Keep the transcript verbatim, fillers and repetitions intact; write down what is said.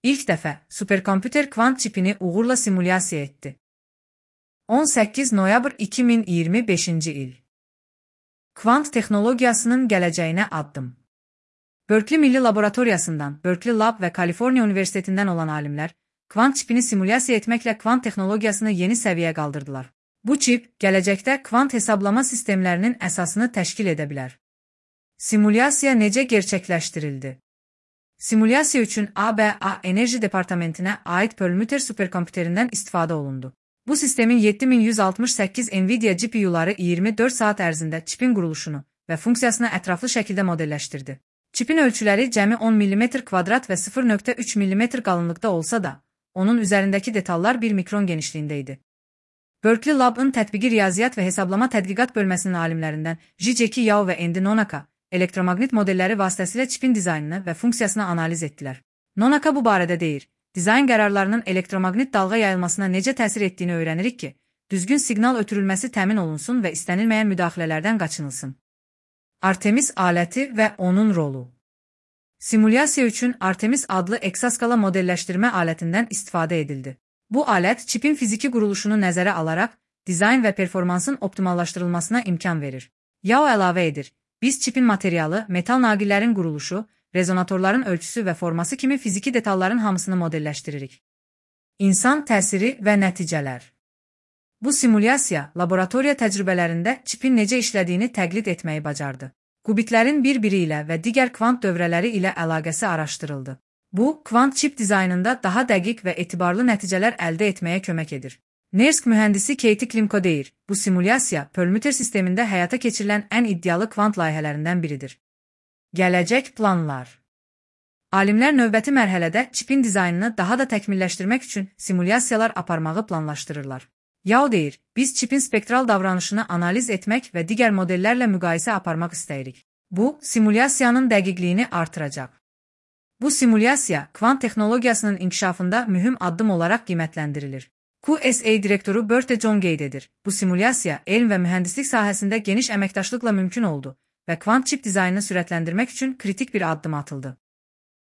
İlk dəfə superkompüter kvant çipini uğurla simulyasiya etdi. on səkkiz noyabr iki min iyirmi beşinci il. Kvant texnologiyasının gələcəyinə addım. Berkeley Milli Laboratoriyasından, Berkeley Lab və Kaliforniya Universitetindən olan alimlər, kvant çipini simulyasiya etməklə kvant texnologiyasını yeni səviyyəyə qaldırdılar. Bu çip, gələcəkdə kvant hesablama sistemlərinin əsasını təşkil edə bilər. Simulyasiya necə gerçəkləşdirildi? Simulyasiya üçün A B A Enerji Departamentinə aid Perlmutter superkompüterindən istifadə olundu. Bu sistemin yeddi min yüz altmış səkkiz NVIDIA G P U'ları iyirmi dörd saat ərzində çipin quruluşunu və funksiyasını ətraflı şəkildə modelləşdirdi. Çipin ölçüləri cəmi on millimetr kvadrat və sıfır nöqtə üç millimetr qalınlıqda olsa da, onun üzərindəki detallar bir mikron genişliyində idi. Berkeley Lab'ın tətbiqi riyaziyyat və hesablama tədqiqat bölməsinin alimlərindən Jijeki Yao və Andy Nonaka elektromaqnit modelləri vasitəsilə çipin dizaynını və funksiyasını analiz etdilər. Nonaka bu barədə deyir, dizayn qərarlarının elektromaqnit dalğa yayılmasına necə təsir etdiyini öyrənirik ki, düzgün siqnal ötürülməsi təmin olunsun və istənilməyən müdaxilələrdən qaçınılsın. Artemis aləti və onun rolu. Simulyasiya üçün Artemis adlı eksaskala modelləşdirmə alətindən istifadə edildi. Bu alət çipin fiziki quruluşunu nəzərə alaraq, dizayn və performansın optimallaşdırılmasına imkan verir. Yao əlavə edir, biz çipin materialı, metal naqillərin quruluşu, rezonatorların ölçüsü və forması kimi fiziki detalların hamısını modelləşdiririk. İnsan təsiri və nəticələr. Bu simulyasiya, laboratoriya təcrübələrində çipin necə işlədiyini təqlid etməyi bacardı. Qubitlərin bir-biri ilə və digər kvant dövrələri ilə əlaqəsi araşdırıldı. Bu, kvant çip dizaynında daha dəqiq və etibarlı nəticələr əldə etməyə kömək edir. NERSC mühəndisi Katie Klimko deyir, bu simulyasiya Perlmutter sistemində həyata keçirilən ən iddialı kvant layihələrindən biridir. Gələcək planlar. Alimlər növbəti mərhələdə çipin dizaynını daha da təkmilləşdirmək üçün simulyasiyalar aparmağı planlaşdırırlar. Yao deyir, biz çipin spektral davranışını analiz etmək və digər modellərlə müqayisə aparmaq istəyirik. Bu, simulyasiyanın dəqiqliyini artıracaq. Bu simulyasiya, kvant texnologiyasının inkişafında mühüm addım olaraq qiymətləndirilir. Q S A direktoru Berthe John qeyd edir, bu simulyasiya elm və mühəndislik sahəsində geniş əməkdaşlıqla mümkün oldu və kvant çip dizaynını sürətləndirmək üçün kritik bir addım atıldı.